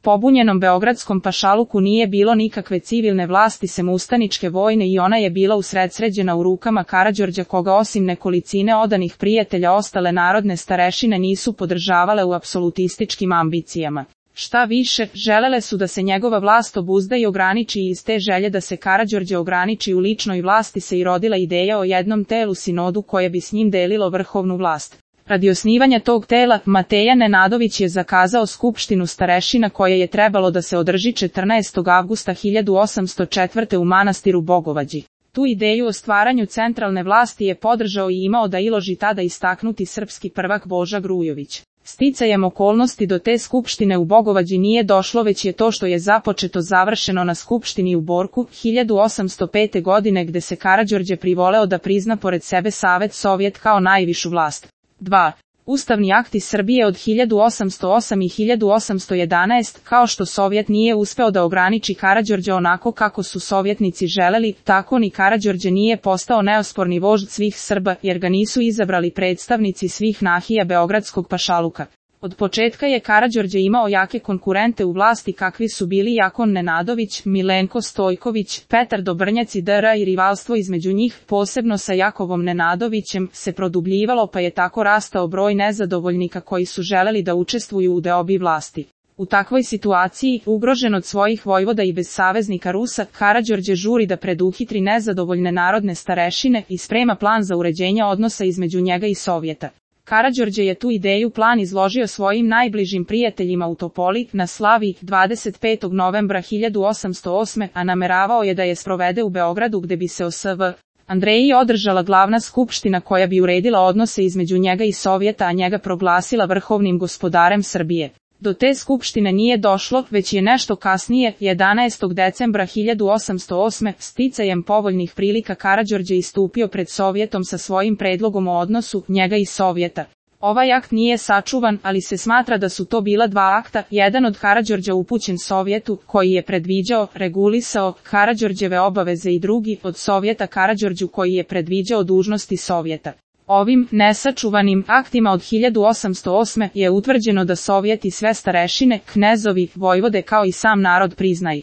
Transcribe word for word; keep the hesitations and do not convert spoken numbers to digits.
pobunjenom beogradskom pašaluku nije bilo nikakve civilne vlasti sem ustaničke vojne i ona je bila usredsređena u rukama Karađorđa koga osim nekolicine odanih prijatelja ostale narodne starešine nisu podržavale u apsolutističkim ambicijama. Šta više, želele su da se njegova vlast obuzda i ograniči i iz te želje da se Karađorđe ograniči u ličnoj vlasti se i rodila ideja o jednom telu sinodu koje bi s njim delilo vrhovnu vlast. Radi osnivanja tog tela, Mateja Nenadović je zakazao skupštinu starešina koja je trebalo da se održi četrnaestog avgusta hiljadu osamsto četvrte. u manastiru Bogovađi. Tu ideju o stvaranju centralne vlasti je podržao i imao da iloži tada istaknuti srpski prvak Boža Grujović. Sticajem okolnosti do te skupštine u Bogovađi nije došlo već je to što je započeto završeno na skupštini u Borku hiljadu osamsto pete. godine gde se Karađorđe privoleo da prizna pored sebe Savet Sovjet kao najvišu vlast. dva. Ustavni akti Srbije od hiljadu osamsto osam i hiljadu osamsto jedanaest. Kao što Sovjet nije uspeo da ograniči Karađorđa onako kako su sovjetnici želeli, tako ni Karađorđe nije postao neosporni vožd svih Srba jer ga nisu izabrali predstavnici svih nahija beogradskog pašaluka. Od početka je Karađorđe imao jake konkurente u vlasti kakvi su bili Jakon Nenadović, Milenko Stojković, Petar Dobrnjac i D R i rivalstvo između njih, posebno sa Jakovom Nenadovićem, se produbljivalo pa je tako rastao broj nezadovoljnika koji su želeli da učestvuju u deobi vlasti. U takvoj situaciji, ugrožen od svojih vojvoda i bez saveznika Rusa, Karađorđe žuri da preduhitri nezadovoljne narodne starešine i sprema plan za uređenje odnosa između njega i Sovjeta. Karađorđe je tu ideju plan izložio svojim najbližim prijateljima u Topoli, na Slavi, dvadeset petog novembra hiljadu osamsto osme. a nameravao je da je sprovede u Beogradu gde bi se o S V Andreji održala glavna skupština koja bi uredila odnose između njega i Sovjeta, a njega proglasila vrhovnim gospodarem Srbije. Do te skupštine nije došlo, već je nešto kasnije, jedanaestog decembra hiljadu osamsto osme. sticajem povoljnih prilika Karađorđe istupio pred Sovjetom sa svojim predlogom o odnosu njega i Sovjeta. Ovaj akt nije sačuvan, ali se smatra da su to bila dva akta, jedan od Karađorđa upućen Sovjetu, koji je predviđao, regulisao Karađorđeve obaveze i drugi od Sovjeta Karađorđu koji je predviđao dužnosti Sovjeta. Ovim nesačuvanim aktima od hiljadu osamsto osme. je utvrđeno da Sovjet i sve starešine, knezovi, vojvode kao i sam narod priznaju.